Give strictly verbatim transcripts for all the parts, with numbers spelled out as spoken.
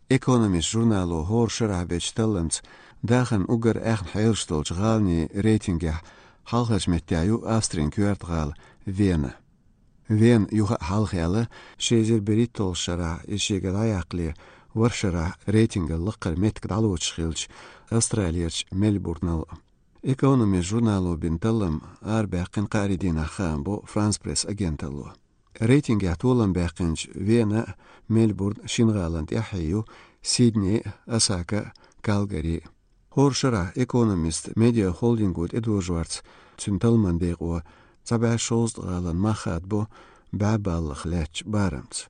Экономист журнало хӀора шарахь бечу талламца дахаран уггар аьхна хьелаш долчу гӀаланийн рейтингехь хьалхарчу меттехь ю Австрин коьрта гӀала Вена. Вена юха а хьалха яьлла, ши эзар берхӀитталгӀачу шарахь иза шега дӀаяккхале, ворхӀ шарахь рейтинган лакхара меттиг дӀалоцуш хилча, Австралерчу Мельбурнал. Экономист журнало бина таллам арабаьккхина кхаарин дийнахь, хаам бо Франс Пресс агенталло. Рейтингехь толам баьккхинчу Вена, Мельбурн шина гӀалана тӀаьхье ю Сидней, Осака, Калгари. ХӀора шарахь Экономист медиахолдинго тӀедожорца цуьнан талламан декъо цхьа бӀе шовзткъа гӀаланна мах хадабо бӀе баллах лаьттачу барамца.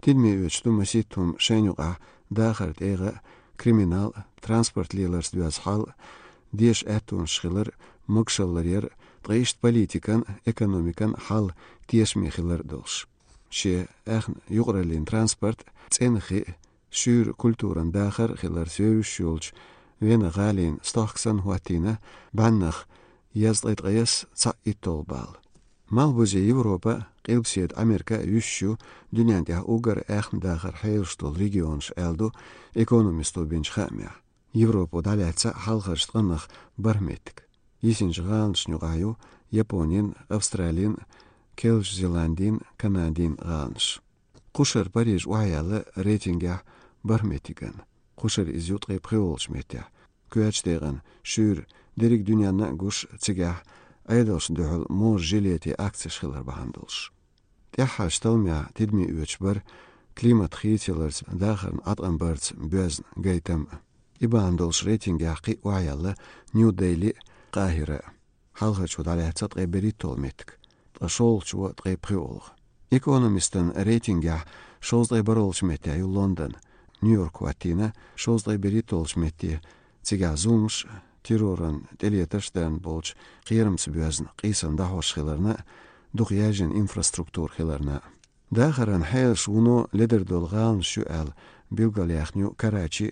Тидаме оьцуш ду масийтта хӀума, шайна юкъахь дахаран тӀегӀа, криминал, транспорт леларца доьзна хьал, деша аьттонаш хилар, могушалла ларъяр, ткъа иштта политикан, экономикан хьал тешаме хилар долуш. Шен аьхна юкъараллин транспорт, цӀена хи, шуьйра культуран дахар хиларца вевзаш йолчу Вена гӀалина стохка санна хӀоттийна бӀеннах езткъе ткъайесна цхьаъ итталгӀа балл. Малхбузе Европа, Къилбаседа Америка а юьсуш ю дуьнен тӀехь уггар аьхна дахаран хьелаш долу регионаш, аьлла ду Экономисто бинчу хаамехь. Европо дӀалаьцна хьалхарчу ткъаннах бархӀ меттиг. Йисинчу гӀаланашна юкъахь ю Японин, Австралин, Керлачу Зеландин, Канадин гӀаланаш. Кхушара Париж охьаяьлла рейтингехь бархӀ меттиган. Кхушара иза ю ткъе пхоьалгӀачу меттехь. Коьртачу декъана шуьйра дерриг дуьненна а гуш, цигахь Ӏедалшна дуьхьал можа жилетийн акцеш хилар бахьана долуш. ТӀаьххьарчу талламехь тидаме оьцуш бара климат хийцаяларца, дахарна Ӏаткъам барца боьзна гайтам а. И бахьана долуш рейтингехь кхин а охьаяьлла Нью-Дели а, Къахира а. Хьалхарчо дӀалаьцна ткъе берхӀитталгӀа меттиг, ткъа шолгӀачо ткъе пхоьалгӀа. Экономистан рейтингехь шовзткъе бархӀалгӀачу метте ю Лондон, Нью-Йорк хӀоттийна шовзткъе берхӀитталгӀачу метте, цигахь зуламаш, терроран тӀелетарш дарна болчу кхерамца боьзна къийсам дӀахьош хиларна а, дукха яьржина инфраструктура хиларна а. Дахаран хьелаш вуно ледара долу гӀаланаш ю аьлла билгалъяьхна ю Карачи,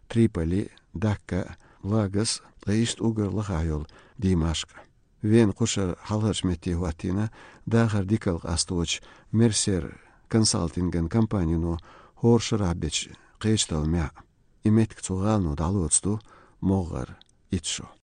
Триполи, Дакка, Лагос, ткъа иштта уггар лахахь йолу Димашкъ. Вена кхушара хьалхарчу метте хӀоттийна дахар дикалла къасточу Мерсер консалтинган компанино хӀора шарахь бечу кхечу талламехь. И меттиг цу гӀалано дӀалоцу ду могӀара итт шо.